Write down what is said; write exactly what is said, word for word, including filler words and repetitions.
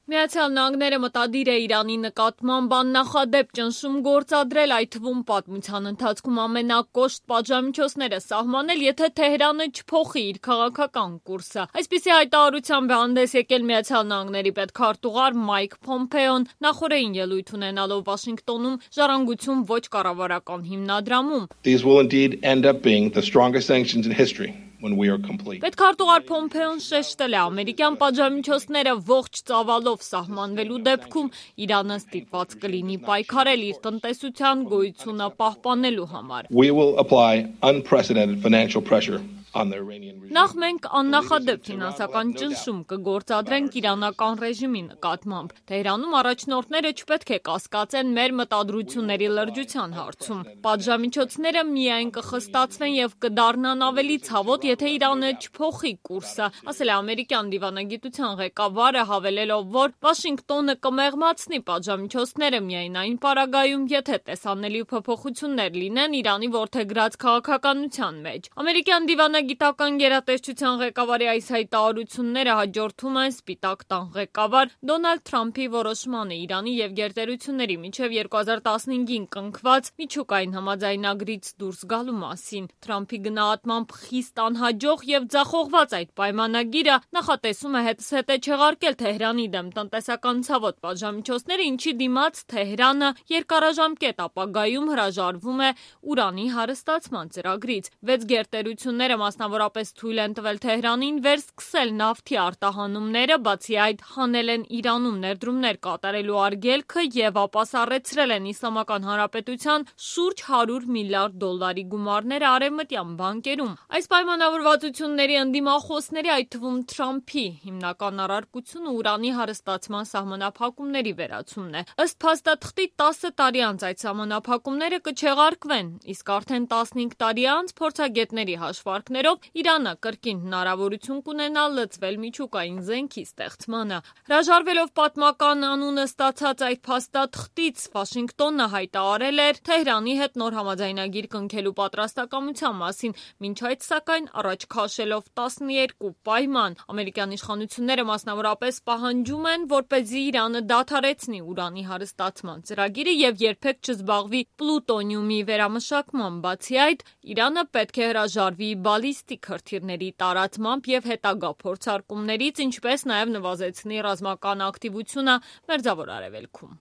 Միացյալ Նահանգները մտադիր է Իրանի նկատմամբ աննախադեպ ճնշում գործադրել, այդ թվում պատմության ընթացքում ամենակոշտ պատժամիջոցները սահմանել, եթե Թեհրանը չփոխի իր քաղաքական կուրսը։ Այսպիսի հայտարարությամբ է հանդես եկել Միացյալ Նահանգների պետքարտուղար Մայք Փոմփեոն նախօրեին ելույթ ունենալով Վաշինգտոնում ժառանգություն ոչ կառավարական հիմնադրամում։ These will indeed end up being the strongest sanctions in history. Պետքարտուղար Փոմփեոն շեշտել է, ամերիկյան պատժամիջոցները ողջ ծավալով սահմանվելու դեպքում Իրանը ստիպված կլինի պայքարել իր տնտեսության գոյությունը պահպանելու համար։ We will apply unprecedented financial pressure on the Iranian regime. Նախ մենք աննախադեպ ֆինանսական ճնշում կգործադրենք իրանական ռեժիմի նկատմամբ։ Թեհրանում առաջնորդները չպետք է կասկածեն մեր մտադրությունների լրջության հարցում։ Պատժամիջոցները միայն կխստացվեն եւ կդառնան ավելի ցավոտ, եթե Իրանը չփոխի կուրսը, ասել է ամերիկյան դիվանագիտության ղեկավարը, հավելելով, որ Վաշինգտոնը կմեղմացնի պատժամիջոցները միայն այն պարագայում, եթե տեսանելի փոփոխություններ լինեն Իրանի որդեգրած քաղաքականության մեջ։ Ամերիկյան դիվանագիտական գերատեսչության ղեկավարի այս հայտարարությունները հաջորդում են Սպիտակ տան ղեկավար Դոնալդ Թրամփի որոշմանը Իրանի եւ գերտերությունների միջև երկու հազար տասնհինգին կնքված միջուկային համաձայնագրից դուրս գալու մասին։ Թրամփի գնահատմամբ խիստ անհաջող եւ ձախողված այդ պայմանագիրը նախատեսում է հետզհետե չեղարկել Թեհրանի դեմ տնտեսական ցավոտ պատժամիջոցները, ինչի դիմաց Թեհրանը երկարաժամկետ ապագայում հրաժարվում է ուրանի հարստացման ծրագրից։ Վեց գերտերությունները մասնավորապես թույլ են տվել Թեհրանին վերսկսել նավթի արտահանումները, բացի այդ հանել են Իրանում ներդրումներ կատարելու արգելքը եւ ապասառեցրել են Իսլամական Հանրապետության շուրջ հարյուր միլիարդ դոլարի գումարները արևմտյան բանկերում։ Այս պայմանավորվածությունների ընդդիմախոսների, այդ թվում Թրամփի հիմնական առարկությունը ուրանի հարստացման սահմանափակումների վերացումն է։ Ըստ փաստաթղթի տասը տարի անց այդ սահմանափակումները կչեղարկվեն, իսկ արդեն տասնհինգ տարի անց փորձագետների հաշվարկներով Իրանը կրկին հնարավորություն կունենա լծվել միջուկային զենքի ստեղծմանը։ Հրաժարվելով պատմական անունը ստացած այդ փաստաթղթից Վաշինգտոնը հայտարարել էր Թեհրանի հետ նոր համաձայնագիր կնքելու պատրաստակամության մասին, մինչ այդ սակայն առաջ քաշելով տասնյոթ պայման։ Ամերիկյան իշխանությունները մասնավորապես պահանջում են, որպեսզի Իրանը դադարեցնի ուրանի հարստացման ծրագիրը եւ երբեք չզբաղվի պլուտոնիումի վերամշակմամբ։ Բացի այդ, Իրանը պետք է հրաժարվի բալիստիկ հրթիռների տարածմամբ եւ հետագա փորձարկումներից, ինչպես նաեւ նվազեցնի ռազմական ակտիվությունը Մերձավոր Արևելքում։